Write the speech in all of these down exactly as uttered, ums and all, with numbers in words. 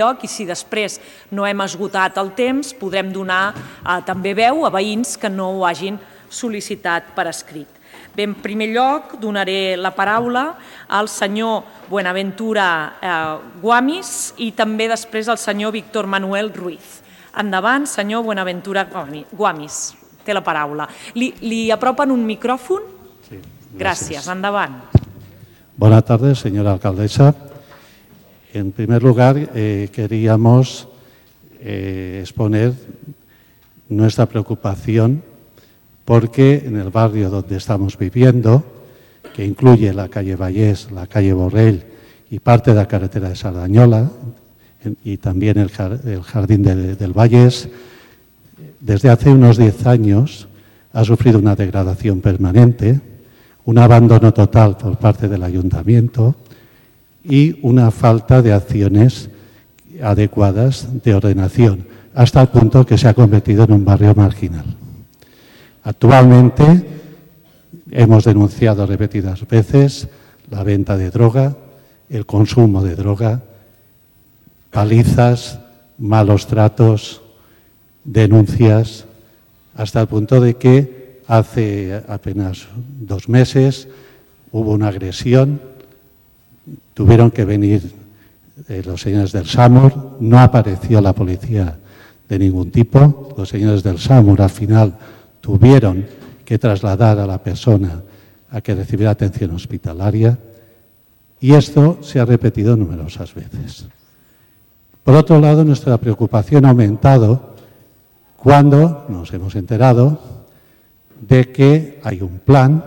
lloc, i si després no hem esgotat el temps, podrem donar eh, també veu a veïns que no ho hagin sol·licitat per escrit. Bé, en primer lloc, donaré la paraula al senyor Buenaventura eh, Guamis i també després al senyor Víctor Manuel Ruiz. Endavant, senyor Buenaventura Guamis, té la paraula. Li, li apropen un micròfon? Sí, gràcies. Gràcies, endavant. Buenas tardes, señora alcaldesa. En primer lugar, eh, queríamos eh, exponer nuestra preocupación porque en el barrio donde estamos viviendo, que incluye la calle Vallés, la calle Borrell y parte de la carretera de Sardañola y también el, el jardín de, del Vallés, desde hace unos diez años ha sufrido una degradación permanente, un abandono total por parte del ayuntamiento y una falta de acciones adecuadas de ordenación, hasta el punto que se ha convertido en un barrio marginal. Actualmente hemos denunciado repetidas veces la venta de droga, el consumo de droga, palizas, malos tratos, denuncias, hasta el punto de que hace apenas dos meses hubo una agresión. Tuvieron que venir eh, los señores del SAMUR, no apareció la policía de ningún tipo. Los señores del SAMUR al final tuvieron que trasladar a la persona a que recibiera atención hospitalaria y esto se ha repetido numerosas veces. Por otro lado, nuestra preocupación ha aumentado cuando nos hemos enterado de que hay un plan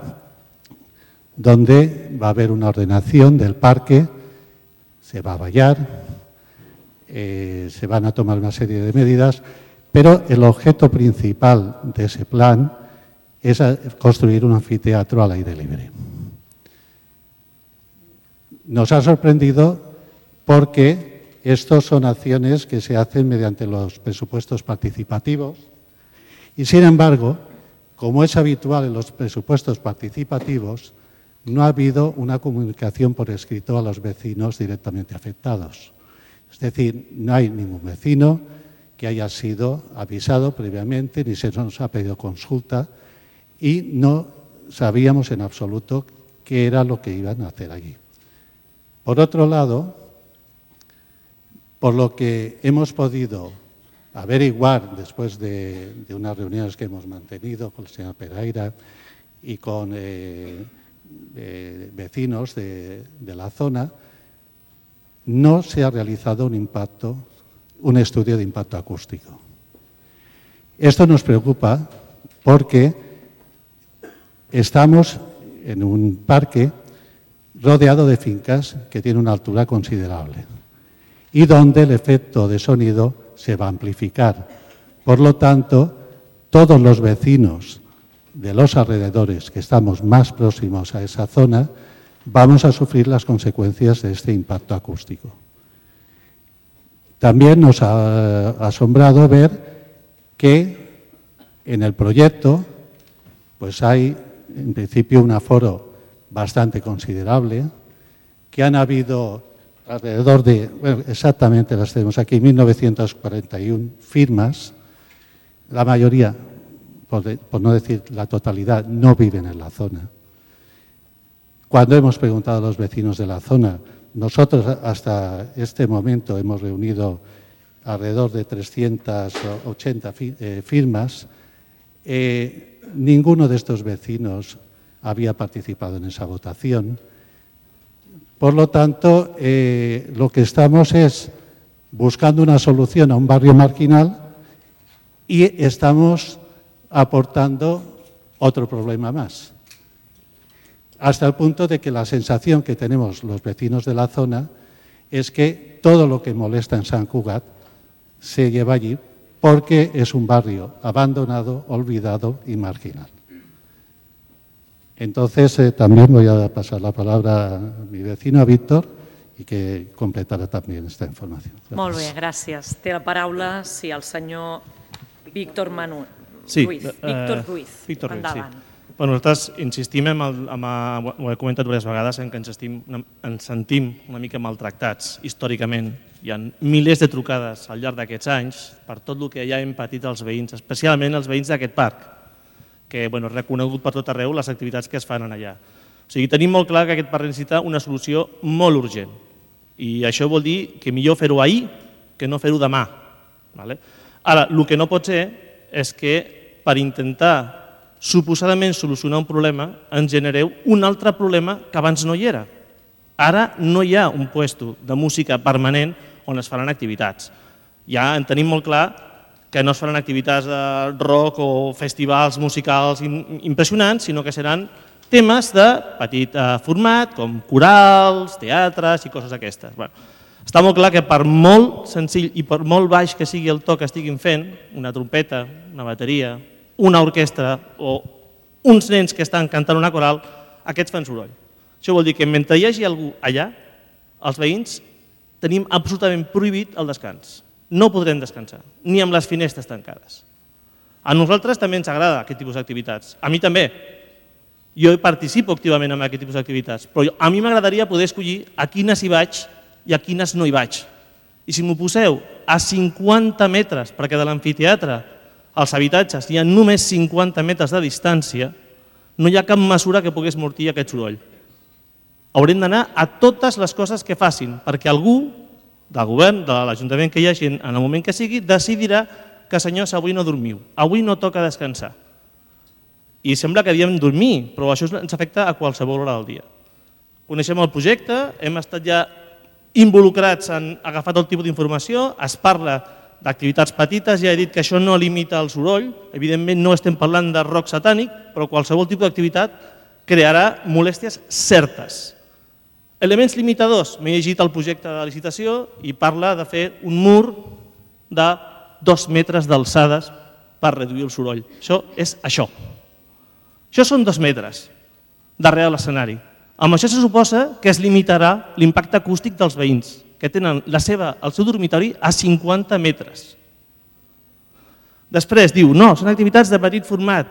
donde va a haber una ordenación del parque, se va a vallar, eh, se van a tomar una serie de medidas, pero el objeto principal de ese plan es construir un anfiteatro al aire libre. Nos ha sorprendido porque estos son acciones que se hacen mediante los presupuestos participativos y, sin embargo, como es habitual en los presupuestos participativos, no ha habido una comunicación por escrito a los vecinos directamente afectados. Es decir, no hay ningún vecino que haya sido avisado previamente, ni se nos ha pedido consulta y no sabíamos en absoluto qué era lo que iban a hacer allí. Por otro lado, por lo que hemos podido averiguar después de, de unas reuniones que hemos mantenido con el señor Pereira y con eh, eh, vecinos de, de la zona, no se ha realizado un impacto, un estudio de impacto acústico. Esto nos preocupa porque estamos en un parque rodeado de fincas que tiene una altura considerable y donde el efecto de sonido se va a amplificar. Por lo tanto, todos los vecinos de los alrededores que estamos más próximos a esa zona vamos a sufrir las consecuencias de este impacto acústico. También nos ha asombrado ver que en el proyecto pues hay en principio un aforo bastante considerable, que han habido alrededor de, bueno, exactamente las tenemos aquí, mil novecientas cuarenta y una firmas. La mayoría, por, de, por no decir la totalidad, no viven en la zona. Cuando hemos preguntado a los vecinos de la zona, nosotros hasta este momento hemos reunido alrededor de trescientas ochenta firmas, eh, ninguno de estos vecinos había participado en esa votación. Por lo tanto, eh, lo que estamos es buscando una solución a un barrio marginal y estamos aportando otro problema más. Hasta el punto de que la sensación que tenemos los vecinos de la zona es que todo lo que molesta en Sant Cugat se lleva allí porque es un barrio abandonado, olvidado y marginal. Entonces, eh, también voy a pasar la palabra a mi vecino, a Víctor, i que completarà també aquesta informació. Gràcies. Molt bé, gràcies. Té la paraula, sí, el senyor Víctor Manuel sí, Ruiz. Uh, Víctor Ruiz, Víctor endavant. Ruiz, sí. Bueno, nosaltres insistim, en el, en el, ho he comentat diverses vegades, en que ens, estim, ens sentim una mica maltractats històricament hi ha milers de trucades al llarg d'aquests anys per tot el que ja hem patit els veïns, especialment els veïns d'aquest parc, que és reconegut per tot arreu les activitats que es fan allà. O sigui, tenim molt clar que aquest parc necessita una solució molt urgent i això vol dir que millor fer-ho ahir que no fer-ho demà. Ara, el que no pot ser és que per intentar suposadament solucionar un problema ens genereu un altre problema que abans no hi era. Ara no hi ha un puesto de música permanent on es faran activitats. Ja en tenim molt clar que no es faran activitats de rock o festivals musicals impressionants, sinó que seran temes de petit format, com corals, teatres i coses d'aquestes. Està molt clar que per molt senzill i per molt baix que sigui el to que estiguin fent, una trompeta, una bateria, una orquestra o uns nens que estan cantant una coral, aquests fan soroll. Això vol dir que mentre hi hagi algú allà, els veïns tenim absolutament prohibit el descans. No podrem descansar, ni amb les finestres tancades. A nosaltres també ens agrada aquest tipus d'activitats. A mi també. Jo participo activament en aquest tipus d'activitats, però a mi m'agradaria poder escollir a quines hi vaig i a quines no hi vaig. I si m'ho poseu a cinquanta metres, perquè de l'amfiteatre als habitatges hi ha només cinquanta metres de distància, no hi ha cap mesura que pogués mortir aquest soroll. Haurem d'anar a totes les coses que facin, perquè algú del govern, de l'Ajuntament que hi hagi en el moment que sigui, decidirà que senyors, avui no dormiu, avui no toca descansar. I sembla que diem dormir, però això ens afecta a qualsevol hora del dia. Coneixem el projecte, hem estat ja involucrats en agafar tot tipus d'informació, es parla d'activitats petites, ja he dit que això no limita el soroll, evidentment no estem parlant de rock satànic, però qualsevol tipus d'activitat crearà molèsties certes. Elements limitadors, m'he llegit el projecte de licitació i parla de fer un mur de dos metres d'alçades per reduir el soroll. Això és això. Això són dos metres darrere l'escenari. Amb això se suposa que es limitarà l'impacte acústic dels veïns, que tenen la seva, el seu dormitori a cinquanta metres. Després diu, no, són activitats de petit format.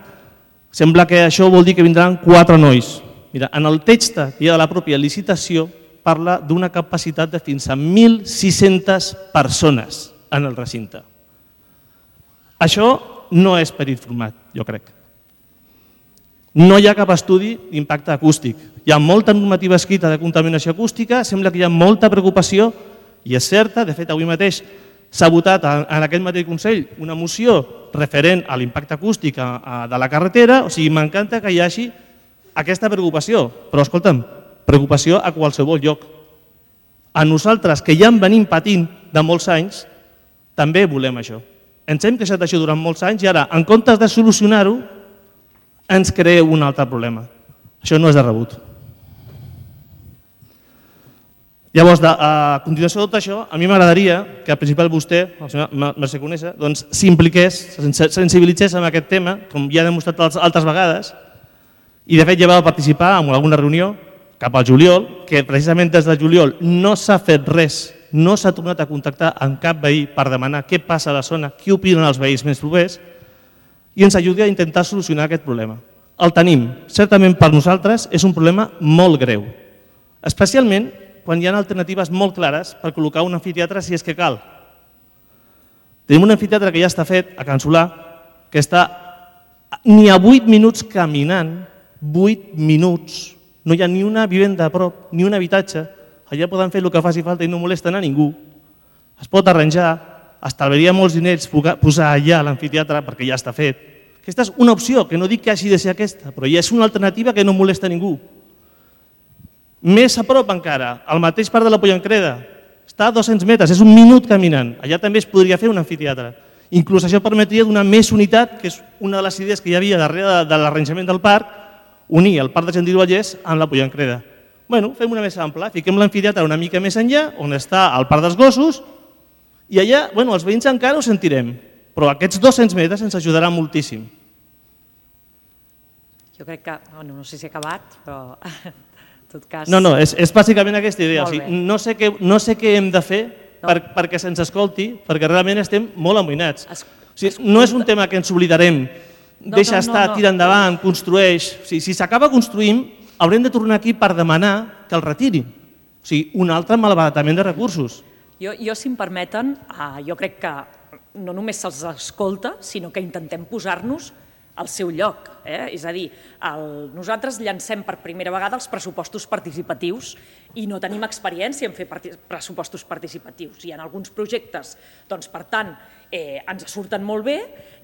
Sembla que això vol dir que vindran quatre nois. Mira, en el text que hi ha de la pròpia licitació parla d'una capacitat de fins a mil sis-centes persones en el recinte. Això no és petit format, jo crec. No hi ha cap estudi d'impacte acústic. Hi ha molta normativa escrita de contaminació acústica, sembla que hi ha molta preocupació, i és certa, de fet avui mateix s'ha votat en aquest mateix Consell una moció referent a l'impacte acústic de la carretera, o sigui, m'encanta que hi hagi aquesta preocupació, però escolta'm, preocupació a qualsevol lloc. A nosaltres, que ja en venim patint de molts anys, també volem això. Ens hem queixat d'això durant molts anys i ara, en comptes de solucionar-ho, ens crea un altre problema. Això no és de rebut. Llavors, a continuació de tot això, a mi m'agradaria que el principal vostè, el senyor Mercè Conesa, s'impliqués, sensibilitzés en aquest tema, com ja ha demostrat altres vegades, i de fet ja va participar en alguna reunió cap al juliol, que precisament des del juliol no s'ha fet res, no s'ha tornat a contactar amb cap veí per demanar què passa a la zona, què opinen els veïns més propers, i ens ajudi a intentar solucionar aquest problema. El tenim, certament per nosaltres és un problema molt greu, especialment quan hi ha alternatives molt clares per col·locar un amfiteatre si és que cal. Tenim un amfiteatre que ja està fet a Can Solà, que està ni a vuit minuts caminant, vuit minuts, no hi ha ni una vivenda a prop, ni un habitatge, allà poden fer el que faci falta i no molesten a ningú. Es pot arranjar, estalviaria molts diners posar allà l'amfiteatre perquè ja està fet. Aquesta és una opció, que no dic que hagi de ser aquesta, però ja és una alternativa que no molesta a ningú. Més a prop encara, al mateix parc de la Pollancreda, està a dos-cents metres, és un minut caminant, allà també es podria fer un amfiteatre. Inclús això permetria donar més unitat, que és una de les idees que hi havia darrere de l'arranjament del parc, unir el parc de Gentil Vallès amb la Pollancreda. Bueno, fem una més ampla, fiquem l'amfiteatre una mica més enllà, on està el parc dels gossos, i allà, bueno, els veïns encara ho sentirem, però aquests dos-cents metres ens ajudarà moltíssim. Jo crec que, bueno, no sé si he acabat, però en tot cas... No, no, és, és bàsicament aquesta idea. O sigui, no, sé què, no sé què hem de fer no. per, perquè se'ns escolti, perquè realment estem molt amoïnats. Es, o sigui, no és un tema que ens oblidarem, no, deixa no, no, estar, no. tira endavant, construeix... O sigui, si s'acaba construint, haurem de tornar aquí per demanar que el retirin. O sigui, un altre malbaratament de recursos. Jo, jo si em permeten, eh, jo crec que no només se'ls escolta, sinó que intentem posar-nos al seu lloc. Eh? És a dir, el, nosaltres llancem per primera vegada els pressupostos participatius i no tenim experiència en fer pressupostos participatius. Hi ha alguns projectes, doncs, per tant, eh, ens surten molt bé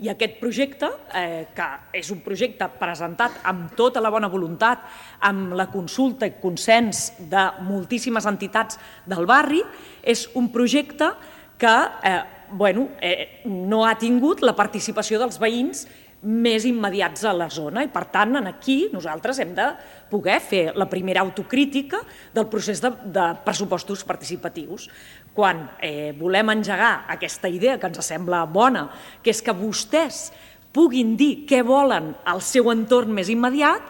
i aquest projecte, eh, que és un projecte presentat amb tota la bona voluntat, amb la consulta i consens de moltíssimes entitats del barri, és un projecte que eh, bueno, eh, no ha tingut la participació dels veïns més immediats a la zona i, per tant, aquí nosaltres hem de poder fer la primera autocrítica del procés de, de pressupostos participatius. Quan eh, volem engegar aquesta idea que ens sembla bona, que és que vostès puguin dir què volen al seu entorn més immediat,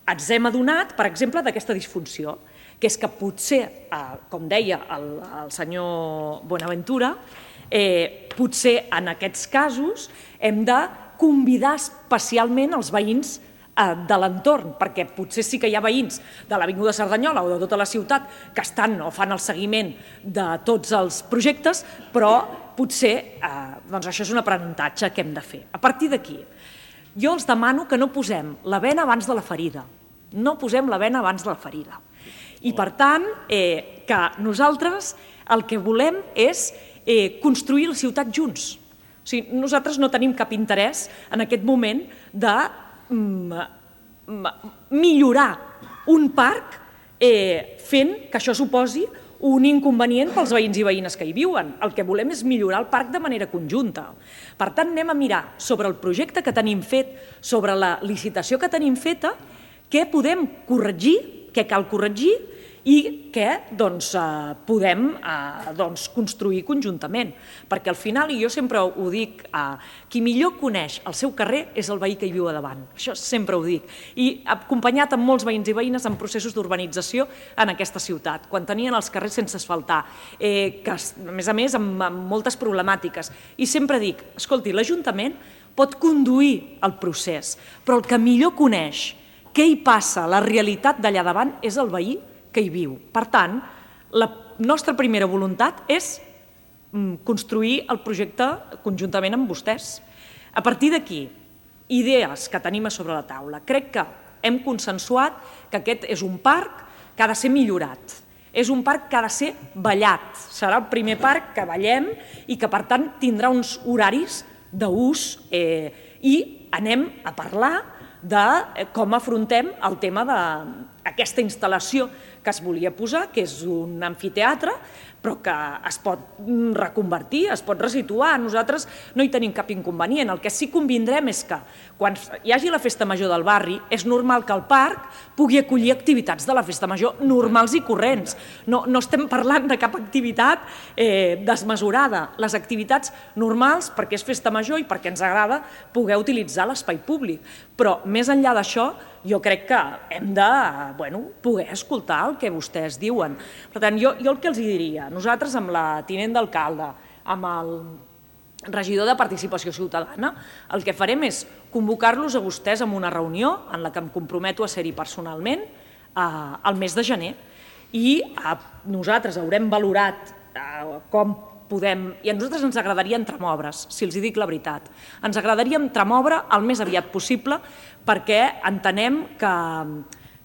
ens hem adonat, per exemple, d'aquesta disfunció, que és que potser, eh, com deia el, el senyor Bonaventura, eh, potser en aquests casos hem de convidar especialment els veïns de l'entorn, perquè potser sí que hi ha veïns de l'Avinguda Cerdanyola o de tota la ciutat que estan o fan el seguiment de tots els projectes, però potser doncs això és un aprenentatge que hem de fer. A partir d'aquí, jo els demano que no posem la bena abans de la ferida, no posem la bena abans de la ferida. I per tant, eh, que nosaltres el que volem és eh, construir la ciutat junts. O sigui, nosaltres no tenim cap interès en aquest moment de mm, millorar un parc eh, fent que això suposi un inconvenient pels veïns i veïnes que hi viuen. El que volem és millorar el parc de manera conjunta. Per tant, anem a mirar sobre el projecte que tenim fet, sobre la licitació que tenim feta, què podem corregir, què cal corregir i què doncs, eh, podem eh, doncs, construir conjuntament. Perquè al final, i jo sempre ho dic, eh, qui millor coneix el seu carrer és el veí que hi viu a davant. Això sempre ho dic. I acompanyat amb molts veïns i veïnes en processos d'urbanització en aquesta ciutat, quan tenien els carrers sense asfaltar, eh, que a més a més amb, amb moltes problemàtiques. I sempre dic, escolti, l'Ajuntament pot conduir el procés, però el que millor coneix què hi passa, la realitat d'allà davant, és el veí que hi viu. Per tant, la nostra primera voluntat és construir el projecte conjuntament amb vostès. A partir d'aquí, idees que tenim a sobre la taula. Crec que hem consensuat que aquest és un parc que ha de ser millorat. És un parc que ha de ser ballat. Serà el primer parc que ballem i que, per tant, tindrà uns horaris d'ús eh, i anem a parlar de com afrontem el tema d'aquesta instal·lació que es volia posar, que és un amfiteatre, però que es pot reconvertir, es pot resituar. Nosaltres no hi tenim cap inconvenient. El que sí que convindrem és que quan hi hagi la festa major del barri és normal que el parc pugui acollir activitats de la festa major normals i corrents. No, no estem parlant de cap activitat eh, desmesurada. Les activitats normals, perquè és festa major i perquè ens agrada poder utilitzar l'espai públic. Però més enllà d'això, jo crec que hem de bueno, poder escoltar el que vostès diuen. Per tant, jo, jo el que els diria, nosaltres amb la tinent d'alcalde, amb el regidor de Participació Ciutadana, el que farem és convocar-los a vostès en una reunió en la que em comprometo a ser-hi personalment eh, al mes de gener i eh, nosaltres haurem valorat eh, com podem, i a nosaltres ens agradaria entremobres, si els dic la veritat. Ens agradaria entremobre el més aviat possible perquè entenem que,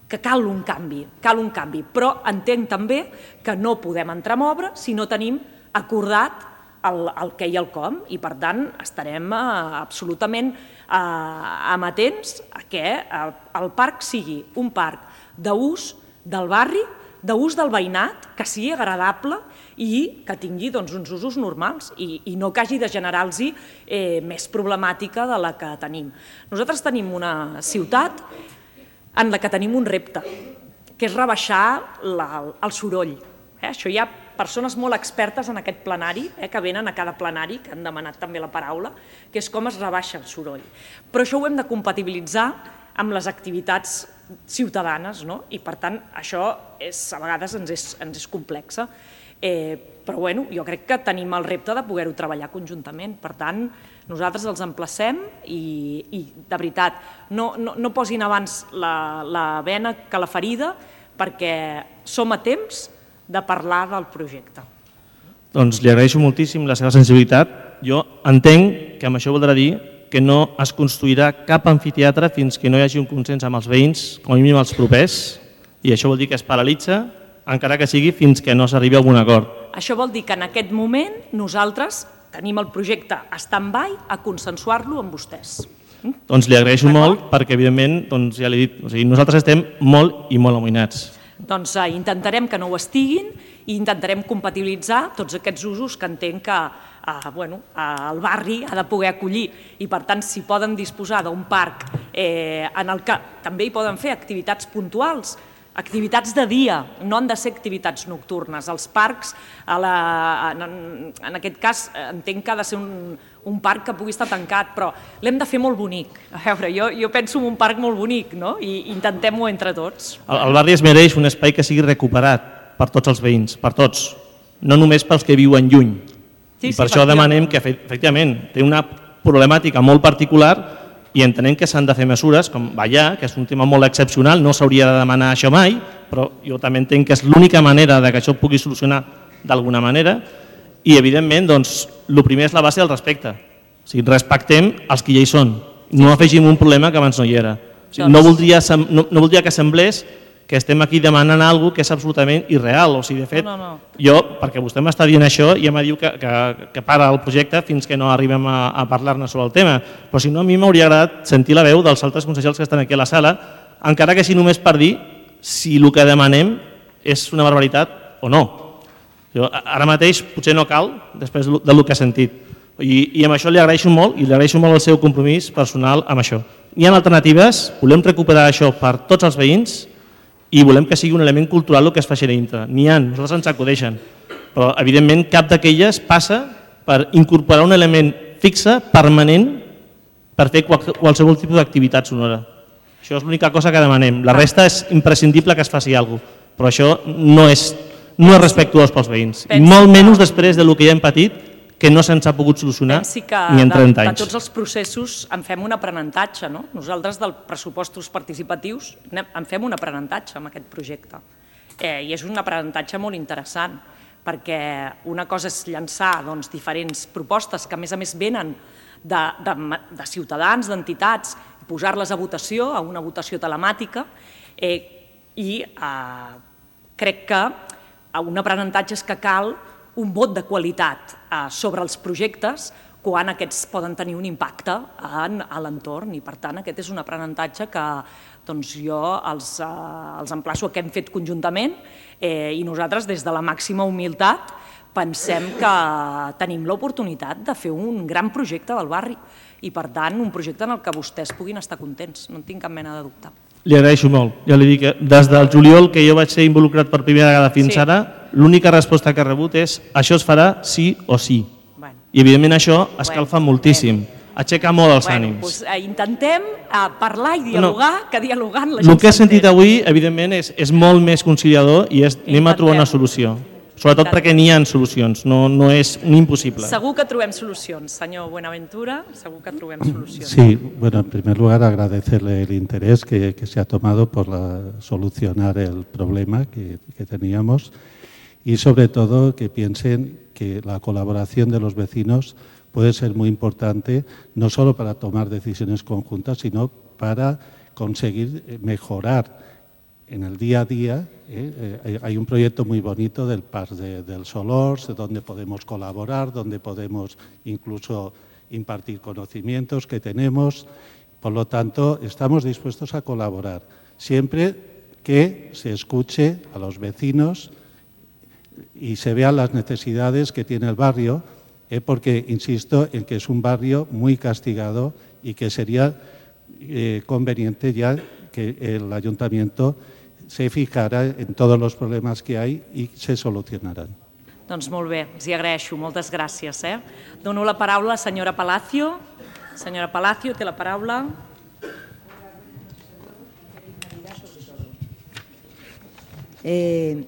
que cal un canvi, cal un canvi, però entenc també que no podem entremobre si no tenim acordat el, el què i el com, i per tant estarem eh, absolutament eh, amatents a que el, el parc sigui un parc d'ús del barri, d'ús del veïnat, que sigui agradable i que tingui doncs, uns usos normals i, i no que hagi de generar-los eh, més problemàtica de la que tenim. Nosaltres tenim una ciutat en la que tenim un repte, que és rebaixar la, el soroll. Eh? Això hi ha persones molt expertes en aquest plenari, eh, que venen a cada plenari, que han demanat també la paraula, que és com es rebaixa el soroll. Però això ho hem de compatibilitzar amb les activitats ciutadanes, no? I per tant això és, a vegades ens és, ens és complexa, eh, però bueno, jo crec que tenim el repte de poder-ho treballar conjuntament. Per tant, nosaltres els emplacem i, i de veritat, no, no, no posin abans la, la bena que la ferida, perquè som a temps de parlar del projecte. Doncs li agraeixo moltíssim la seva sensibilitat. Jo entenc que amb això voldrà dir que no es construirà cap amfiteatre fins que no hi hagi un consens amb els veïns, com a mínim els propers, i això vol dir que es paralitza, encara que sigui fins que no s'arribi a algun acord. Això vol dir que en aquest moment nosaltres tenim el projecte stand-by a consensuar-lo amb vostès. Doncs li agraeixo molt perquè, evidentment, doncs ja l'he dit, o sigui, nosaltres estem molt i molt amoïnats. Doncs eh, intentarem que no ho estiguin i intentarem compatibilitzar tots aquests usos que entenc que eh, bueno, eh, el barri ha de poder acollir i, per tant, si poden disposar d'un parc eh, en el que també hi poden fer activitats puntuals, activitats de dia, no han de ser activitats nocturnes. Els parcs, a la, en, en aquest cas, entenc que ha de ser un, un parc que pugui estar tancat, però l'hem de fer molt bonic. A veure, jo, jo penso en un parc molt bonic, no? I intentem-ho entre tots. El, el barri es mereix un espai que sigui recuperat per tots els veïns, per tots, no només pels que viuen lluny. Sí, I per sí, això demanem que, efectivament, té una problemàtica molt particular i entenem que s'han de fer mesures com ballar, que és un tema molt excepcional, no s'hauria de demanar això mai, però jo també entenc que és l'única manera de que això pugui solucionar d'alguna manera i, evidentment, doncs, el primer és la base del respecte. O sigui, respectem els que ja hi són, no afegim un problema que abans no hi era. O sigui, no, voldria, no, no voldria que semblés que estem aquí demanant alguna cosa que és absolutament irreal. O sigui, de fet, no, no, no. jo, perquè vostè m'està dient això, ja me diu que, que, que para el projecte fins que no arribem a, a parlar-ne sobre el tema. Però si no, a mi m'hauria agradat sentir la veu dels altres consellers que estan aquí a la sala, encara que sigui només per dir si el que demanem és una barbaritat o no. Jo, ara mateix potser no cal, després del que he sentit. I, i amb això li agraeixo molt i li agraeixo molt el seu compromís personal amb això. Hi ha alternatives, volem recuperar això per tots els veïns i volem que sigui un element cultural el que es faci a dintre. N'hi ha, nosaltres ens acudeixen, però evidentment cap d'aquelles passa per incorporar un element fixe, permanent, per fer qualsevol tipus d'activitat sonora. Això és l'única cosa que demanem. La resta és imprescindible que es faci alguna cosa, però això no és, no és respectuós pels veïns. I molt menys després del que ja hem patit, que no se'ns ha pogut solucionar ni en trenta anys. De tots els processos en fem un aprenentatge. No? Nosaltres dels pressupostos participatius en fem un aprenentatge amb aquest projecte. Eh, I és un aprenentatge molt interessant, perquè una cosa és llançar doncs, diferents propostes que a més a més venen de, de, de ciutadans, d'entitats, posar-les a votació, a una votació telemàtica, eh, i eh, crec que un aprenentatge és que cal un vot de qualitat eh, sobre els projectes quan aquests poden tenir un impacte en, a l'entorn i, per tant, aquest és un aprenentatge que doncs, jo els, eh, els emplaço a que hem fet conjuntament eh, i nosaltres, des de la màxima humilitat, pensem que tenim l'oportunitat de fer un gran projecte del barri i, per tant, un projecte en el que vostès puguin estar contents. No en tinc cap mena de dubte. Li agraeixo molt. Ja li dic que des del juliol que jo vaig ser involucrat per primera vegada fins sí. ara, l'única resposta que he rebut és això es farà sí o sí. Bueno. I evidentment això escalfa bueno, moltíssim. Bueno. Aixeca molt els bueno, ànims. Doncs, eh, intentem eh, parlar i dialogar, no. que dialogant la gent El que he sentit avui, evidentment, és, és molt més conciliador i és, anem a trobar una solució. Sobretot perquè n'hi ha solucions, no, no és un impossible. Segur que trobem solucions, senyor Buenaventura, segur que trobem solucions. Sí, bueno, en primer lugar agradecerle el interés que, que se ha tomado por la, solucionar el problema que, que teníamos y sobre todo que piensen que la colaboración de los vecinos puede ser muy importante, no solo para tomar decisiones conjuntas, sino para conseguir mejorar en el día a día. Eh, eh, hay un proyecto muy bonito del Parc de, del Solors, donde podemos colaborar, donde podemos incluso impartir conocimientos que tenemos. Por lo tanto, estamos dispuestos a colaborar, siempre que se escuche a los vecinos y se vean las necesidades que tiene el barrio, eh, porque insisto en que es un barrio muy castigado y que sería eh, conveniente ya que el ayuntamiento se fijarà en tots els problemes que hi ha i se solucionaran. Doncs molt bé, els hi agraeixo, moltes gràcies. Eh? Dono la paraula a la senyora Palacio. Senyora Palacio, té la paraula. Eh,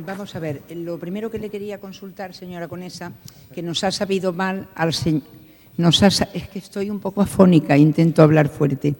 vamos a ver, lo primero que le quería consultar, señora Conesa, que nos ha sabido mal al señor... Nos ha, es que estoy un poco afónica, intento hablar fuerte.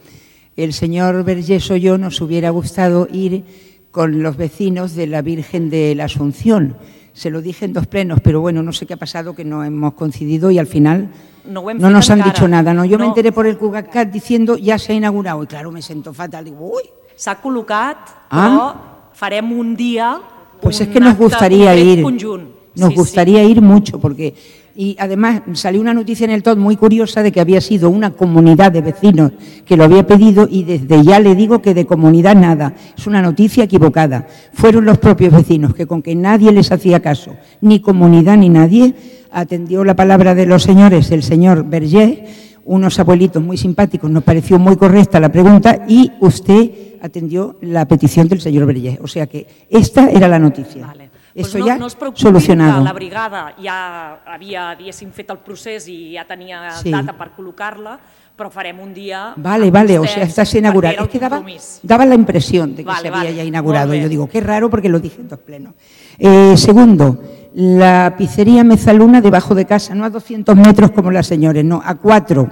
El señor Vergés o yo nos hubiera gustado ir con los vecinos de la Virgen de la Asunción, Se lo dije en dos plenos, pero bueno, no sé qué ha pasado, que no hemos coincidido y al final no, no nos han dicho nada. No, yo no. me enteré por el CugaCat diciendo ya se ha inaugurado y claro, me sento fatal. Digo, uy. S'ha col·locat, però ah. farem un dia pues un es que nos gustaría ir. Conjunt. Nos sí, gustaría sí. ir mucho porque... Y además salió una noticia en el T O D muy curiosa de que había sido una comunidad de vecinos que lo había pedido y desde ya le digo que de comunidad nada. Es una noticia equivocada. Fueron los propios vecinos que con que nadie les hacía caso, ni comunidad ni nadie, atendió la palabra de los señores, el señor Vergé, unos abuelitos muy simpáticos, nos pareció muy correcta la pregunta y usted atendió la petición del señor Vergé. O sea que esta era la noticia. Vale. Eso pues no, ya no es solucionado. Que la brigada ja havia, diguéssim, fet el procés i ja tenia sí. data per col·locar-la, però farem un dia... Vale, vale, o sea, está inaugurado. Es que daba, daba la impresión de que vale, se había vale. ya inaugurado. Yo digo, qué raro porque lo dije en dos plenos. Eh, segundo, la pizzería Mezaluna debajo de casa, no a doscientos metros como las señores, no, a cuatro,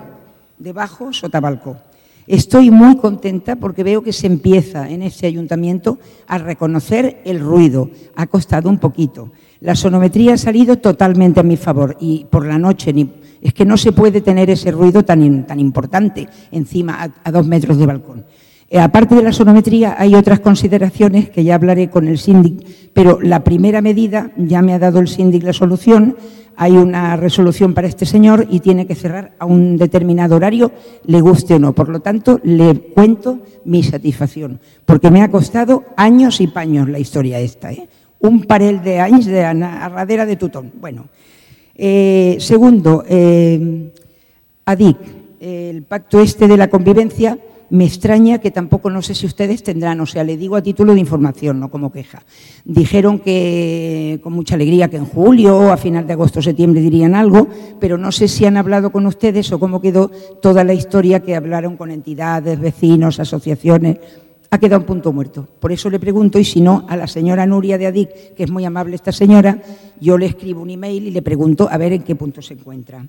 debajo Sotabalcó. Estoy muy contenta porque veo que se empieza en este ayuntamiento a reconocer el ruido. Ha costado un poquito. La sonometría ha salido totalmente a mi favor y por la noche ni, es que no se puede tener ese ruido tan, tan importante encima a, a dos metros de balcón. Eh, aparte de la sonometría hay otras consideraciones que ya hablaré con el síndic, pero la primera medida ya me ha dado el síndic la solución. Hay una resolución para este señor y tiene que cerrar a un determinado horario, le guste o no. Por lo tanto, le cuento mi satisfacción, porque me ha costado años y paños la historia esta, ¿eh? Un parell de anys de arradera de tothom. Bueno, eh, segundo, eh, A D I C, el pacto este de la convivencia, me extraña que tampoco, no sé si ustedes tendrán, o sea, le digo a título de información, no como queja. Dijeron que con mucha alegría que en julio, a final de agosto, septiembre dirían algo, pero no sé si han hablado con ustedes o cómo quedó toda la historia que hablaron con entidades, vecinos, asociaciones. Ha quedado un punto muerto. Por eso le pregunto, y si no, a la señora Nuria de A D I C, que es muy amable esta señora, yo le escribo un email y le pregunto a ver en qué punto se encuentra.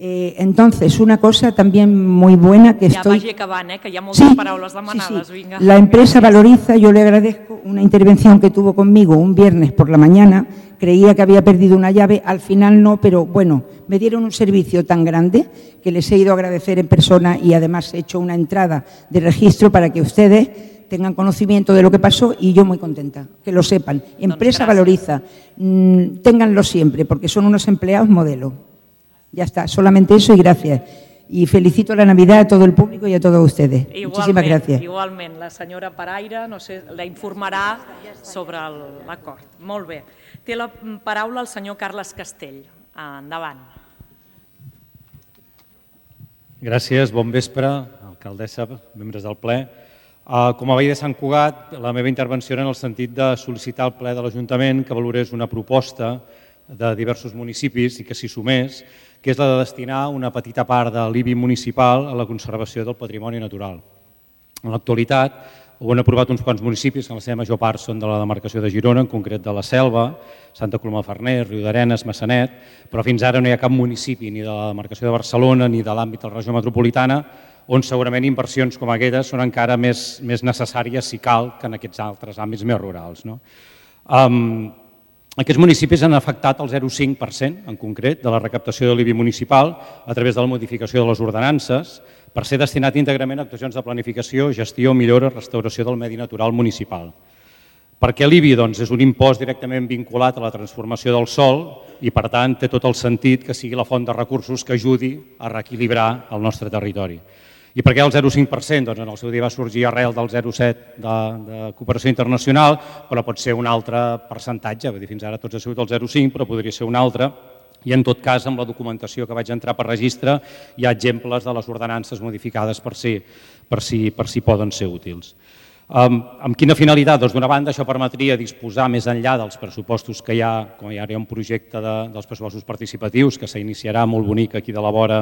Eh, entonces, una cosa también muy buena que ja estoy... vagi acabant, eh, que hi ha moltes sí, paraules demanades. Sí, sí. Vinga. La empresa Valoriza, yo le agradezco una intervención que tuvo conmigo un viernes por la mañana. Creía que había perdido una llave, al final no, pero bueno, me dieron un servicio tan grande que les he ido a agradecer en persona y además he hecho una entrada de registro para que ustedes tengan conocimiento de lo que pasó y yo muy contenta, que lo sepan. Empresa Valoriza, mmm, ténganlo siempre porque son unos empleados modelo. Ya está, solamente eso y gracias. Y felicito la Navidad a todo el público y a todos ustedes. Igualment, muchísimas gracias. Igualment, la senyora Paraire, no sé, la informarà sobre l'acord. Molt bé. Té la paraula el senyor Carles Castell. Endavant. Gràcies, bon vespre, alcaldessa, membres del ple. Com a veí de Sant Cugat, la meva intervenció era en el sentit de sol·licitar al ple de l'Ajuntament que valorés una proposta de diversos municipis i que s'hi sumés, que és la de destinar una petita part de l'I B I municipal a la conservació del patrimoni natural. En l'actualitat, ho han aprovat uns quants municipis, que en la seva major part són de la demarcació de Girona, en concret de la Selva, Santa Coloma de Farners, Riudarenes, Massanet, però fins ara no hi ha cap municipi ni de la demarcació de Barcelona ni de l'àmbit de la regió metropolitana on segurament inversions com aquestes són encara més, més necessàries, si cal, que en aquests altres àmbits més rurals. No? Um, Aquests municipis han afectat el zero coma cinc per cent, en concret, de la recaptació de l'I B I municipal a través de la modificació de les ordenances per ser destinat íntegrament a actuacions de planificació, gestió, millora, restauració del medi natural municipal. Per què l'I B I? Doncs és un impost directament vinculat a la transformació del sòl i, per tant, té tot el sentit que sigui la font de recursos que ajudi a reequilibrar el nostre territori. I per què el zero coma cinc per cent? Doncs en el seu dia va sorgir arrel del zero coma set de, de cooperació internacional, però pot ser un altre percentatge, vull dir, fins ara tots ha sigut el zero coma cinc, però podria ser un altre, i en tot cas, amb la documentació que vaig entrar per registre, hi ha exemples de les ordenances modificades per si, per si, per si poden ser útils. Um, amb quina finalitat? Doncs d'una banda això permetria disposar més enllà dels pressupostos que hi ha, com hi ha un projecte de, dels pressupostos participatius que s'iniciarà molt bonic aquí de la vora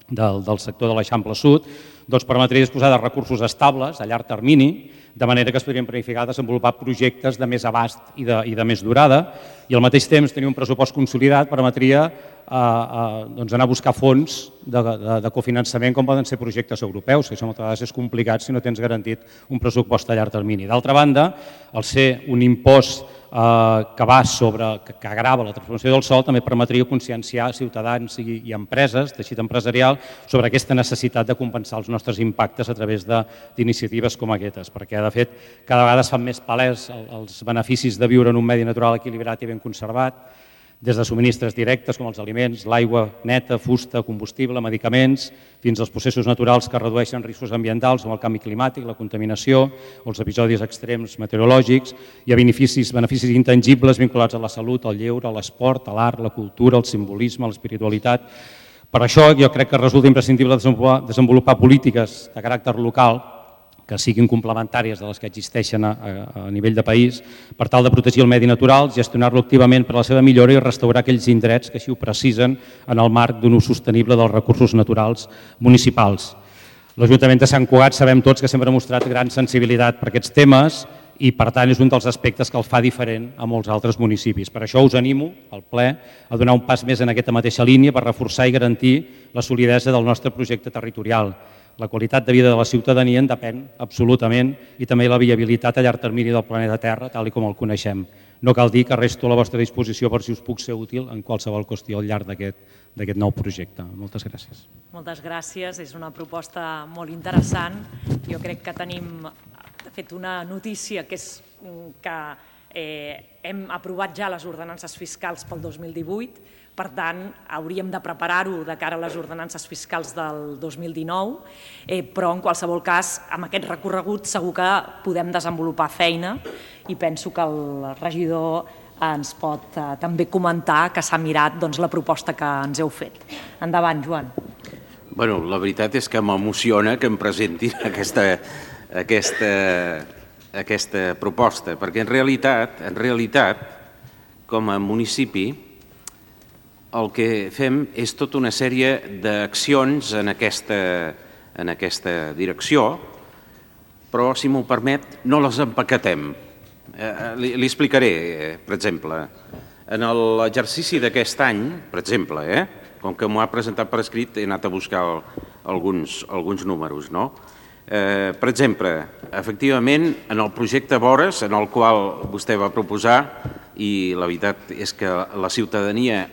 del, del sector de l'Eixample Sud, doncs permetria disposar de recursos estables a llarg termini, de manera que es podrien planificar desenvolupar projectes de més abast i de, i de més durada, i al mateix temps tenir un pressupost consolidat permetria eh, eh, doncs anar a buscar fons de, de, de cofinançament com poden ser projectes europeus, que això moltes vegades és complicat si no tens garantit un pressupost a llarg termini. D'altra banda, al ser un impost que va sobre, que agrava la transformació del sòl, també permetria conscienciar ciutadans i empreses, teixit empresarial, sobre aquesta necessitat de compensar els nostres impactes a través d'iniciatives com aquestes, perquè de fet cada vegada es fan més palès els beneficis de viure en un medi natural equilibrat i ben conservat, des de subministres directes com els aliments, l'aigua neta, fusta, combustible, medicaments, fins als processos naturals que redueixen riscos ambientals com el canvi climàtic, la contaminació o els episodis extrems meteorològics. Hi ha beneficis, beneficis intangibles vinculats a la salut, al lleure, a l'esport, a l'art, la cultura, al simbolisme, a l'espiritualitat. Per això jo crec que resulta imprescindible desenvolupar, desenvolupar polítiques de caràcter local que siguin complementàries de les que existeixen a, a, a nivell de país, per tal de protegir el medi natural, gestionar-lo activament per a la seva millora i restaurar aquells indrets que així ho precisen en el marc d'un ús sostenible dels recursos naturals municipals. L'Ajuntament de Sant Cugat sabem tots que sempre ha mostrat gran sensibilitat per aquests temes i, per tant, és un dels aspectes que el fa diferent a molts altres municipis. Per això us animo, al ple, a donar un pas més en aquesta mateixa línia per reforçar i garantir la solidesa del nostre projecte territorial. La qualitat de vida de la ciutadania en depèn absolutament i també la viabilitat a llarg termini del planeta Terra, tal com el coneixem. No cal dir que resto a la vostra disposició per si us puc ser útil en qualsevol qüestió al llarg d'aquest nou projecte. Moltes gràcies. Moltes gràcies. És una proposta molt interessant. Jo crec que tenim, de fet, una notícia que és que hem aprovat ja les ordenances fiscals pel dos mil divuit. Per tant, hauríem de preparar-ho de cara a les ordenances fiscals del dos mil dinou, però en qualsevol cas, amb aquest recorregut segur que podem desenvolupar feina i penso que el regidor ens pot també comentar que s'ha mirat la proposta que ens heu fet. Endavant, Joan. Bueno, la veritat és que m'emociona que em presentin aquesta, aquesta, aquesta proposta, perquè en realitat, en realitat, com a municipi, el que fem és tota una sèrie d'accions en aquesta, en aquesta direcció, però, si m'ho permet, no les empaquetem. Eh, li, li explicaré, eh, per exemple, en l'exercici d'aquest any, per exemple, eh, com que m'ho ha presentat per escrit, he anat a buscar el, alguns, alguns números, no? Eh, per exemple, efectivament, en el projecte Vores, en el qual vostè va proposar, i la veritat és que la ciutadania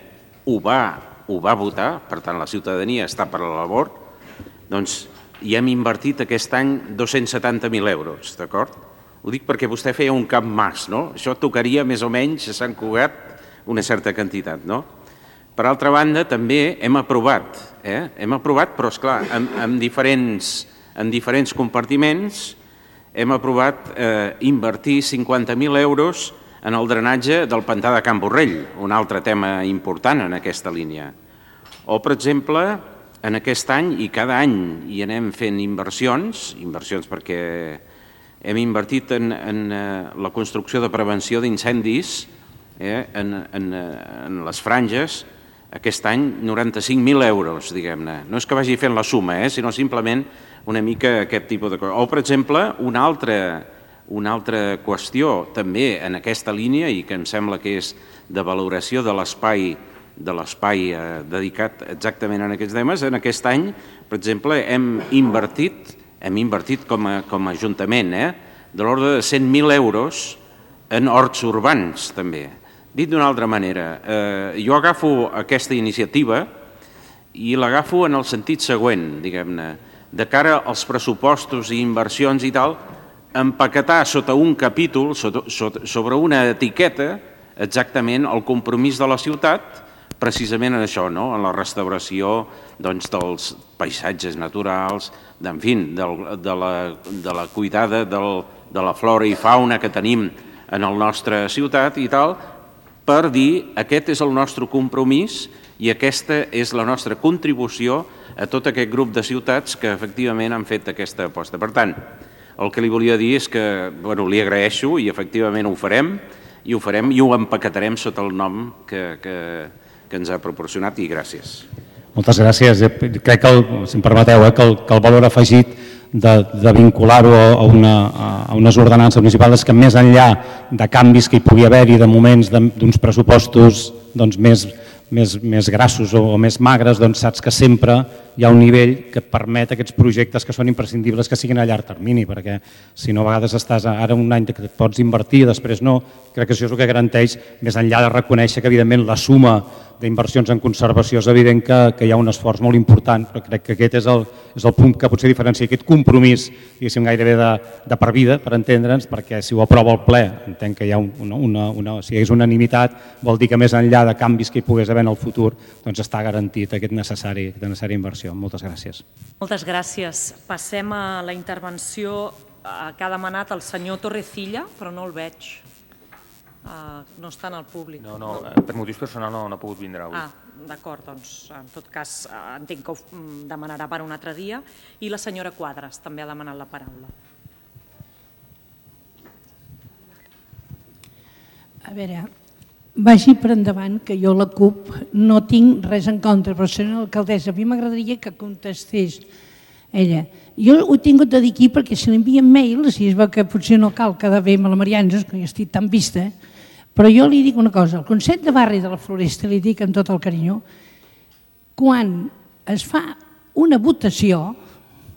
ho va, ho va votar, per tant la ciutadania està per la labor, doncs hi hem invertit aquest any dos-cents setanta mil euros, d'acord? Ho dic perquè vostè feia un cap mas, no? Això tocaria més o menys a Sant Cugat una certa quantitat, no? Per altra banda, també hem aprovat, eh? hem aprovat, però esclar, en, en, diferents, en diferents compartiments hem aprovat eh, invertir cinquanta mil euros en el drenatge del pantà de Can Borrell, un altre tema important en aquesta línia. O, per exemple, en aquest any, i cada any hi anem fent inversions, inversions perquè hem invertit en, en la construcció de prevenció d'incendis eh, en, en, en les franges, aquest any noranta-cinc mil euros, diguem-ne. No és que vagi fent la suma, eh, sinó simplement una mica aquest tipus de coses. O, per exemple, una altra Una altra qüestió també en aquesta línia i que em sembla que és de valoració de l'espai de l'espai dedicat exactament a aquests temes, en aquest any, per exemple, hem invertit, hem invertit com a, com a Ajuntament, eh, de l'ordre de cent mil euros en horts urbans, també. Dit d'una altra manera, eh, jo agafo aquesta iniciativa i l'agafo en el sentit següent, diguem-ne, de cara als pressupostos i inversions i tal, empaquetar sota un capítol, sota, sota, sobre una etiqueta, exactament el compromís de la ciutat, precisament en això, no? En la restauració doncs, dels paisatges naturals, en fi, del, de, la, de la cuidada del, de la flora i fauna que tenim en la nostra ciutat i tal, per dir aquest és el nostre compromís i aquesta és la nostra contribució a tot aquest grup de ciutats que efectivament han fet aquesta aposta. Per tant, el que li volia dir és que bueno, li agraeixo i efectivament ho farem i ho farem i ho empaquetarem sota el nom que, que, que ens ha proporcionat i gràcies. Moltes gràcies. Crec que, el, si em permeteu, eh, que, el, que el valor afegit de, de vincular-ho a, una, a unes ordenances municipals que més enllà de canvis que hi pugui haver-hi de moments d'uns pressupostos doncs, més, més, més grassos o, o més magres, doncs saps que sempre hi ha un nivell que et permet aquests projectes que són imprescindibles que siguin a llarg termini, perquè si no a vegades estàs ara un any que et pots invertir, després no, crec que això és el que garanteix, més enllà de reconèixer que evidentment la suma d'inversions en conservació és evident que, que hi ha un esforç molt important, però crec que aquest és el, és el punt que potser diferencia aquest compromís, diguéssim, gairebé de, de per vida, per entendre'ns, perquè si ho aprova el ple, entenc que hi ha una, una, una, si hi hagués unanimitat, vol dir que més enllà de canvis que hi pogués haver en el futur, doncs està garantit aquest necessari, aquesta necessària inversió. Moltes gràcies. Moltes gràcies. Passem a la intervenció que ha demanat el senyor Torrecilla, però no el veig. Uh, no està en el públic. No, no, per motius personals no, no ha pogut vindre avui. Ah, d'acord, doncs en tot cas entenc que ho demanarà per un altre dia. I la senyora Quadras també ha demanat la paraula. A veure, vagi per endavant que jo la CUP no tinc res en contra, però senyora alcaldessa, a mi m'agradaria que contestés ella. Jo ho he tingut de dir aquí perquè si l'envien mails, i es veu que potser no cal quedar bé amb la Marianges, que jo estic tan vista, però jo li dic una cosa, el Consell de Barri de la Floresta, li dic amb tot el carinyo, quan es fa una votació,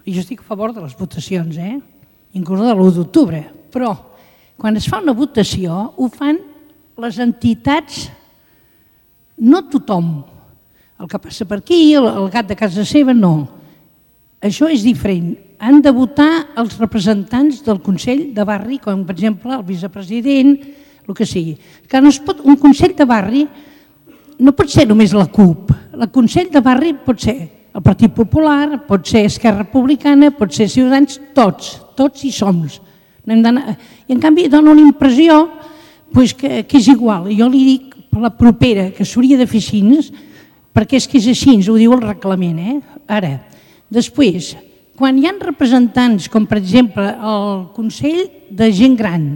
i jo estic a favor de les votacions, eh? Inclús de l'u d'octubre, però quan es fa una votació ho fan les entitats, no tothom. El que passa per aquí, el, el gat de casa seva, no. Això és diferent. Han de votar els representants del Consell de Barri, com per exemple el vicepresident, el que sigui. Que no es pot, un Consell de Barri no pot ser només la CUP. El Consell de Barri pot ser el Partit Popular, pot ser Esquerra Republicana, pot ser Ciutadans, tots, tots hi som. I en canvi dona una impressió que és igual. Jo li dic per la propera que s'hauria de fer així, perquè és que és així, ho diu el reglament. Ara, després, quan hi ha representants, com per exemple el Consell de Gent Gran,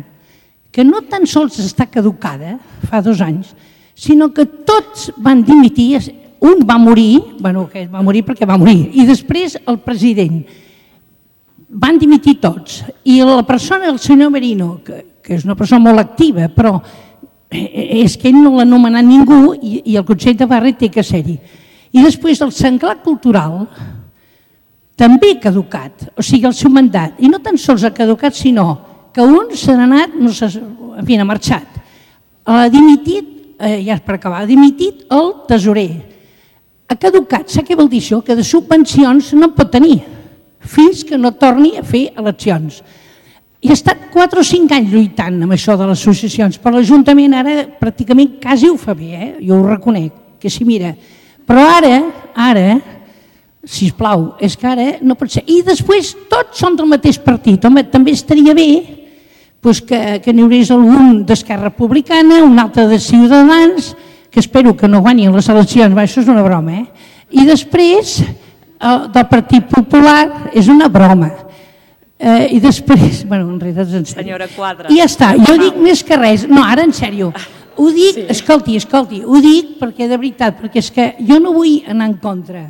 que no tan sols està caducada, fa dos anys, sinó que tots van dimitir, un va morir, bueno, que va morir perquè va morir, i després el president. Van dimitir tots. I la persona, el senyor Merino, que, que és una persona molt activa, però és que ell no l'ha nomenat ningú i, i el Consell de Barri té que ser-hi. I després el Senglar Cultural també ha caducat, o sigui, el seu mandat. I no tan sols ha caducat, sinó que un s'ha anat, no sé, en fi, ha marxat. Ha dimitit, eh, ja és per acabar, ha dimitit el tesorer. Ha caducat, sap què vol dir això? Que de subvencions no en pot tenir, fins que no torni a fer eleccions. I ha estat quatre o cinc anys lluitant amb això de les associacions, però l'Ajuntament ara pràcticament quasi ho fa bé, eh? Jo ho reconec, que s'hi mira. Però ara, ara, sisplau, és que ara no pot ser. I després tots són del mateix partit. Home, també estaria bé que n'hi hagués algun d'Esquerra Republicana, un altre de Ciutadans, que espero que no guanyin les eleccions, això és una broma, eh? I després del Partit Popular, és una broma. I després, bueno, en realitat és en sèrio. Senyora Quadras. I ja està, jo dic més que res, no, ara en sèrio, ho dic, escolti, escolti, ho dic perquè de veritat, perquè és que jo no vull anar en contra,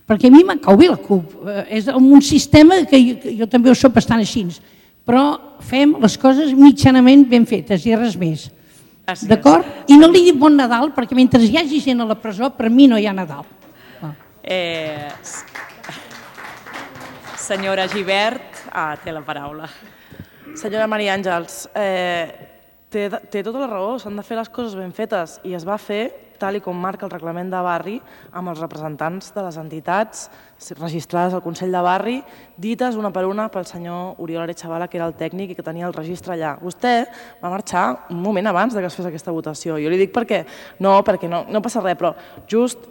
perquè a mi m'encau bé la CUP, és un sistema que jo també ho soc bastant així, però fem les coses mitjanament ben fetes i res més. D'acord? I no li dic bon Nadal, perquè mentre hi hagi gent a la presó, per mi no hi ha Nadal. Senyora Gibert, té la paraula. Senyora Maria Àngels, té tota la raó, s'han de fer les coses ben fetes i es va fer tal i com marca el reglament de barri amb els representants de les entitats registrades al Consell de Barri, dites una per una pel senyor Oriol Arechavala, que era el tècnic i que tenia el registre allà. Vostè va marxar un moment abans que es fes aquesta votació. Jo li dic perquè no, perquè no passa res, però just...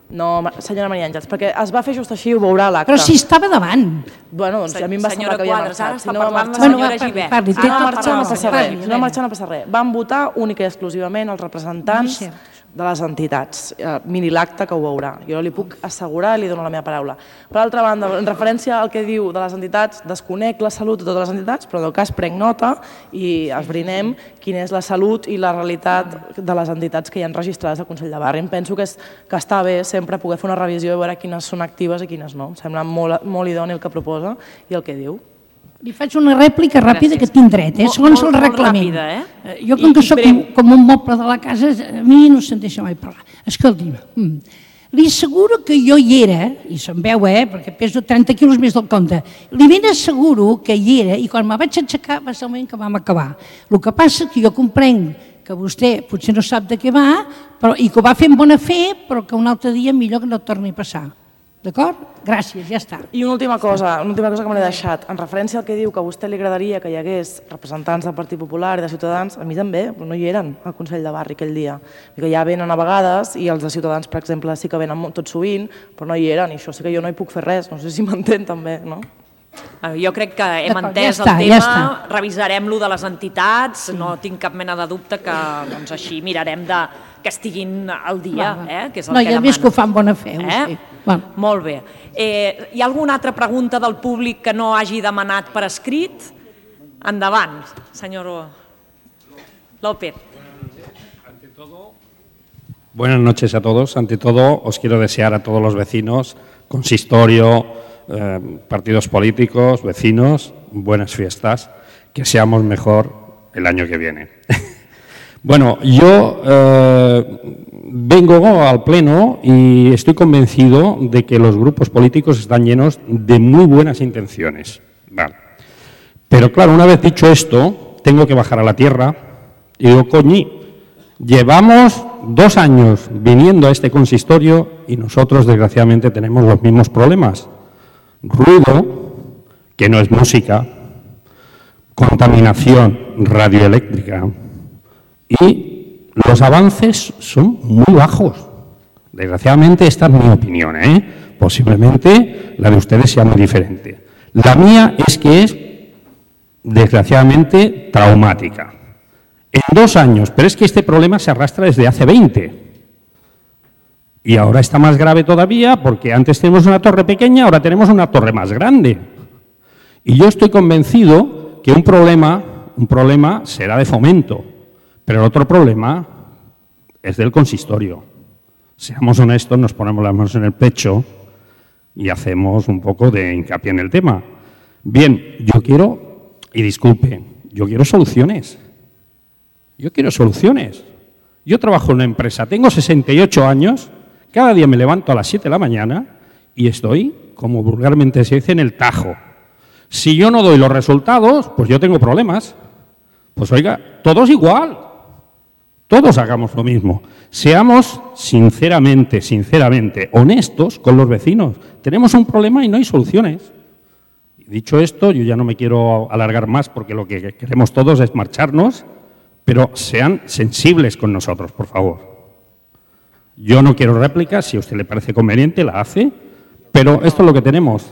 No, senyora Maria Àngels, perquè es va fer just així, ho veurà l'acte. Però si estava davant. Bueno, doncs a mi em va semblar que havia marxat. Si no va marxar, senyora Gibert. Si no va marxar no passa res. Si no va marxar no passa res. Van votar única i exclusivament els representants de les entitats. Miri l'acte que ho veurà. Jo li puc assegurar i li dono la meva paraula. Per altra banda, en referència al que diu de les entitats, desconec la salut de totes les entitats, però en el cas prenc nota i esbrinem quina és la salut i la realitat de les entitats que hi ha registrades al Consell de Barri. Em penso que està bé sempre poder fer una revisió i veure quines són actives i quines no. Em sembla molt idoni el que proposa i el que diu. Li faig una rèplica ràpida que tinc dret, segons el reglament. Jo com que soc com un moble de la casa, a mi no se'n deixa mai parlar. Escolti'm, li asseguro que jo hi era, i se'n veu, eh, perquè peso trenta quilos més del compte, li ben asseguro que hi era i quan me vaig aixecar va ser el moment que vam acabar. El que passa és que jo comprenc que vostè potser no sap de què va i que ho va fer amb bona fe, però que un altre dia millor que no torni a passar. D'acord? Gràcies, ja està. I una última cosa, una última cosa que me l'he deixat. En referència al que diu que a vostè li agradaria que hi hagués representants del Partit Popular i de Ciutadans, a mi també, però no hi eren al Consell de Barri aquell dia. Que ja venen a vegades i els de Ciutadans, per exemple, sí que venen tot sovint, però no hi eren i això sí que jo no hi puc fer res. No sé si m'entén també, no? Jo crec que hem entès el tema, revisarem lo de les entitats, no tinc cap mena de dubte que així mirarem que estiguin al dia, que és el que demanen. No, ja he vist que ho fan bona fe. Molt bé. Hi ha alguna altra pregunta del públic que no hagi demanat per escrit? Endavant, senyor López. Buenas noches a todos. Ante todo, os quiero desear a todos los vecinos, consistorio, Eh, partidos políticos, vecinos, buenas fiestas, que seamos mejor el año que viene. Bueno, yo eh, vengo al Pleno y estoy convencido de que los grupos políticos están llenos de muy buenas intenciones. Vale. Pero claro, una vez dicho esto, tengo que bajar a la tierra y digo, coñi, llevamos dos años viniendo a este consistorio y nosotros, desgraciadamente, tenemos los mismos problemas. Ruido, que no es música, contaminación radioeléctrica y los avances son muy bajos. Desgraciadamente esta es mi opinión, ¿eh? Posiblemente la de ustedes sea muy diferente. La mía es que es desgraciadamente traumática. En dos años, pero es que este problema se arrastra desde hace veinte. Y ahora está más grave todavía porque antes tenemos una torre pequeña, ahora tenemos una torre más grande. Y yo estoy convencido que un problema, un problema será de Fomento, pero el otro problema es del consistorio. Seamos honestos, nos ponemos las manos en el pecho y hacemos un poco de hincapié en el tema. Bien, yo quiero, y disculpen, yo quiero soluciones. Yo quiero soluciones. Yo trabajo en una empresa, tengo sesenta y ocho años. Cada día me levanto a las siete de la mañana y estoy, como vulgarmente se dice, en el tajo. Si yo no doy los resultados, pues yo tengo problemas. Pues oiga, todos igual. Todos hagamos lo mismo. Seamos sinceramente, sinceramente, honestos con los vecinos. Tenemos un problema y no hay soluciones. Dicho esto, yo ya no me quiero alargar más porque lo que queremos todos es marcharnos, pero sean sensibles con nosotros, por favor. Yo no quiero rèplica, si a usted le parece conveniente, la hace, però esto es lo que tenemos.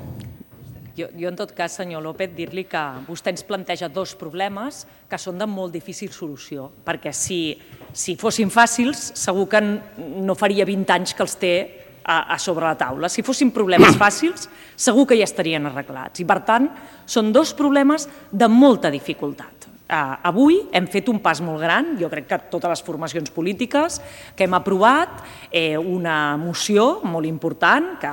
Jo, jo en tot cas, senyor López, dir-li que vostè ens planteja dos problemes que són de molt difícil solució, perquè si, si fossin fàcils, segur que no faria vint anys que els té a, a sobre la taula. Si fossin problemes fàcils, segur que ja estarien arreglats. I, per tant, són dos problemes de molta dificultat. Uh, avui hem fet un pas molt gran, jo crec que totes les formacions polítiques, que hem aprovat eh, una moció molt important que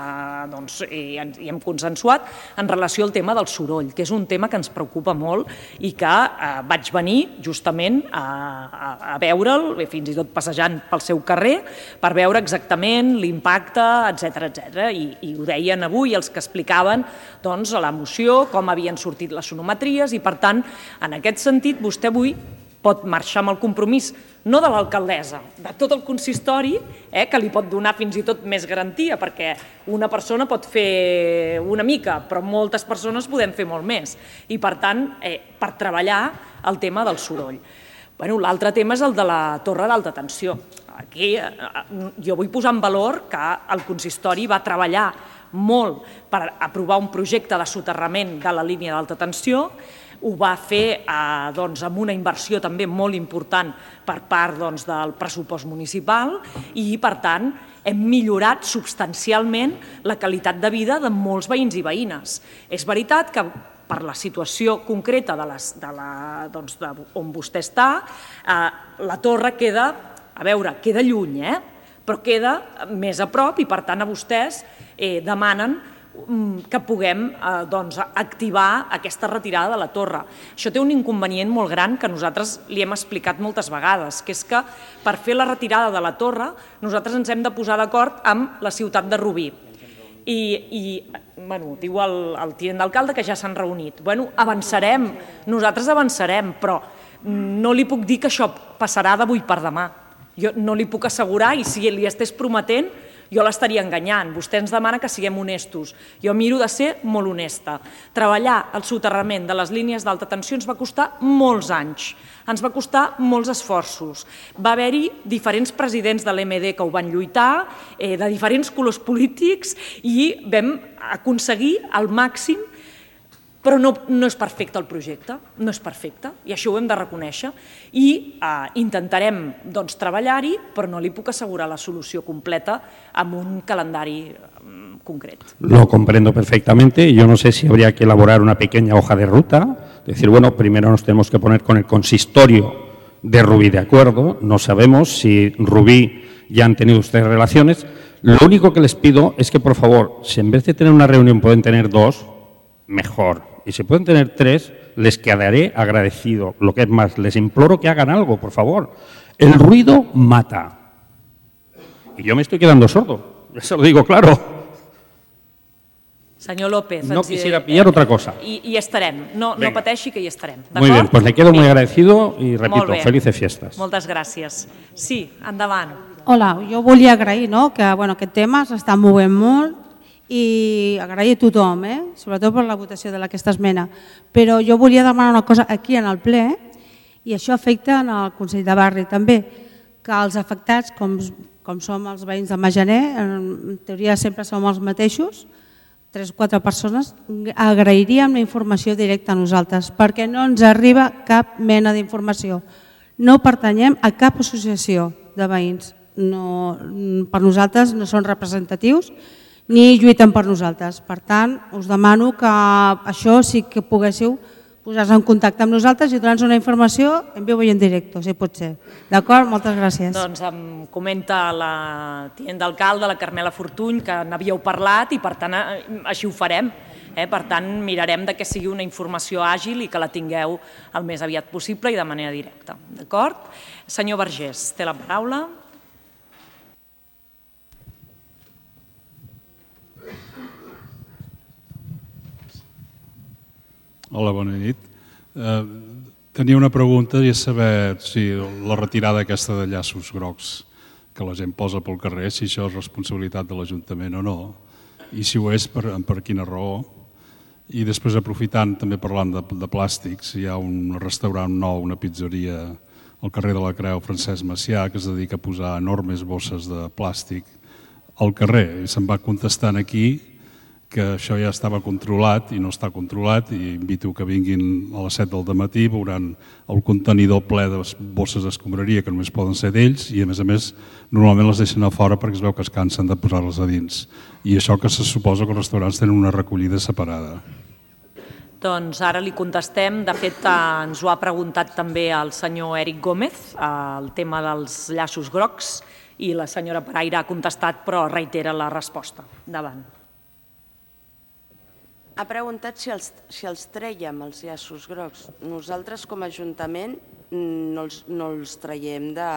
doncs, eh, hi hem consensuat en relació al tema del soroll, que és un tema que ens preocupa molt i que eh, vaig venir justament a, a, a veure'l, fins i tot passejant pel seu carrer, per veure exactament l'impacte, etcètera, etcètera. I, i ho deien avui els que explicaven doncs, la moció, com havien sortit les sonometries i, per tant, en aquest sentit, vostè avui pot marxar amb el compromís, no de l'alcaldessa, de tot el consistori, eh, que li pot donar fins i tot més garantia, perquè una persona pot fer una mica, però moltes persones podem fer molt més. I, per tant, eh, per treballar el tema del soroll. Bueno, l'altre tema és el de la torre d'alta tensió. Aquí eh, jo vull posar en valor que el consistori va treballar molt per aprovar un projecte de soterrament de la línia d'alta tensió. Ho va fer eh, doncs, amb una inversió també molt important per part doncs, del pressupost municipal i, per tant, hem millorat substancialment la qualitat de vida de molts veïns i veïnes. És veritat que per la situació concreta de les, de la, doncs, de on vostè està, eh, la torre queda, a veure, queda lluny, eh? Però queda més a prop i, per tant, a vostès eh, demanen que puguem doncs, activar aquesta retirada de la torre. Això té un inconvenient molt gran que nosaltres li hem explicat moltes vegades, que és que per fer la retirada de la torre nosaltres ens hem de posar d'acord amb la ciutat de Rubí. I, i bueno, diu el, el tinent d'alcalde que ja s'han reunit. Bueno, avançarem, nosaltres avançarem, però no li puc dir que això passarà d'avui per demà. Jo no li puc assegurar, i si li estés prometent, jo l'estaria enganyant. Vostè ens demana que siguem honestos. Jo miro de ser molt honesta. Treballar el soterrament de les línies d'alta tensió ens va costar molts anys. Ens va costar molts esforços. Va haver-hi diferents presidents de l'M D que ho van lluitar, de diferents colors polítics, i vam aconseguir al màxim, però no, no és perfecte el projecte, no és perfecte, i això ho hem de reconèixer, i eh, intentarem doncs, treballar-hi, però no li puc assegurar la solució completa amb un calendari um, concret. Lo comprendo perfectamente, yo no sé si habría que elaborar una pequeña hoja de ruta, decir, bueno, primero nos tenemos que poner con el consistorio de Rubí de acuerdo, no sabemos si Rubí ya han tenido ustedes relaciones, lo único que les pido es que, por favor, si en vez de tener una reunión pueden tener dos, mejor. Y si pueden tener tres, les quedaré agradecido. Lo que es más, les imploro que hagan algo, por favor. El ruido mata. Y yo me estoy quedando sordo, eso lo digo claro. Senyor López... No quisiera pillar otra cosa. I, i estarem. No, no pateixi que hi estarem. Muy bien, pues le quedo muy agradecido y repito, felices fiestas. Moltes gràcies. Sí, endavant. Hola, jo volia agrair no, que bueno, aquest tema s'està movent molt i agrair a tothom, eh? Sobretot per la votació d'aquesta esmena. Però jo volia demanar una cosa aquí en el ple, i això afecta en el Consell de Barri també, que els afectats, com, com som els veïns de Majaner, en teoria sempre som els mateixos, tres o quatre persones, agrairíem la informació directa a nosaltres, perquè no ens arriba cap mena d'informació. No pertanyem a cap associació de veïns. No, per nosaltres no són representatius ni lluiten per nosaltres. Per tant, us demano que això sí que poguéssiu posar-se en contacte amb nosaltres i donar-nos una informació en viu i en directe, si pot ser. D'acord? Moltes gràcies. Doncs em comenta la tinent d'alcalde, la Carmela Fortuny, que n'havíeu parlat i per tant així ho farem. Per tant, mirarem que sigui una informació àgil i que la tingueu el més aviat possible i de manera directa. D'acord? Senyor Vergés, té la paraula. Hola, bona nit. Eh, tenia una pregunta i és saber si la retirada aquesta de llaços grocs que la gent posa pel carrer, si això és responsabilitat de l'Ajuntament o no, i si ho és, per, per quina raó. I després, aprofitant, també parlant de, de plàstics, hi ha un restaurant nou, una pizzeria al carrer de la Creu, Francesc Macià, que es dedica a posar enormes bosses de plàstic al carrer. I se'm va contestant aquí que això ja estava controlat i no està controlat, i invito que vinguin a les set del dematí, veuran el contenidor ple de bosses d'escombraria que només poden ser d'ells, i a més a més normalment les deixen a fora perquè es veu que es cansen de posar-les a dins. I això que se suposa que els restaurants tenen una recollida separada. Doncs ara li contestem. De fet, ens ho ha preguntat també el senyor Eric Gómez, el tema dels llaços grocs, i la senyora Paraire ha contestat, però reitera la resposta. Endavant. Ha preguntat si els, si els trèiem, els llaços grocs. Nosaltres, com a Ajuntament, no els, no els traiem de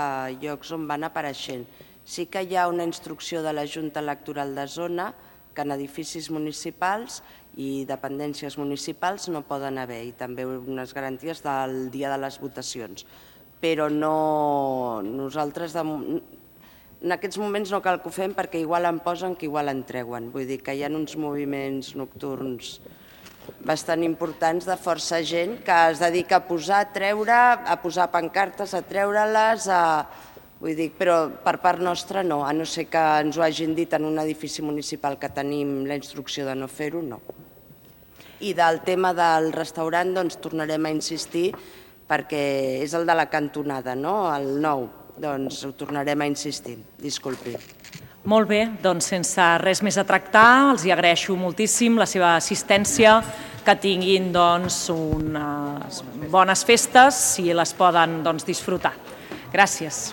llocs on van apareixent. Sí que hi ha una instrucció de la Junta Electoral de Zona que en edificis municipals i dependències municipals no poden haver, i també unes garanties del dia de les votacions. Però no, nosaltres... De, en aquests moments no cal que ho fem perquè igual en posen que igual en treuen. Vull dir que hi ha uns moviments nocturns bastant importants de força gent que es dedica a posar, a treure, a posar pancartes, a treure-les, a... vull dir, però per part nostra no, a no ser que ens ho hagin dit en un edifici municipal que tenim la instrucció de no fer-ho, no. I del tema del restaurant doncs tornarem a insistir perquè és el de la cantonada, no? El nou. Doncs ho tornarem a insistir. Disculpi. Molt bé, doncs sense res més a tractar, els hi agraeixo moltíssim la seva assistència, que tinguin doncs unes bones festes si les poden doncs disfrutar. Gràcies.